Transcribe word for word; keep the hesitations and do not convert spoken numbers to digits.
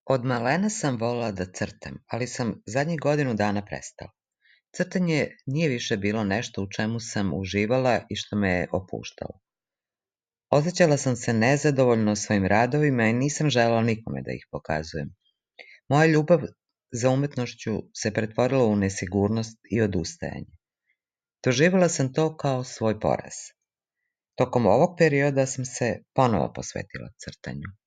Od malena sam volela da crtam, ali sam zadnjih godinu dana prestala. Crtanje nije više bilo nešto u čemu sam uživala i što me je opuštalo. Osjećala sam se nezadovoljno svojim radovima i nisam želela nikome da ih pokazujem. Moja ljubav za umetnošću se pretvorila u nesigurnost i odustajanje. Doživjela sam to kao svoj poraz. Tokom ovog perioda sam se ponovo posvetila crtanju.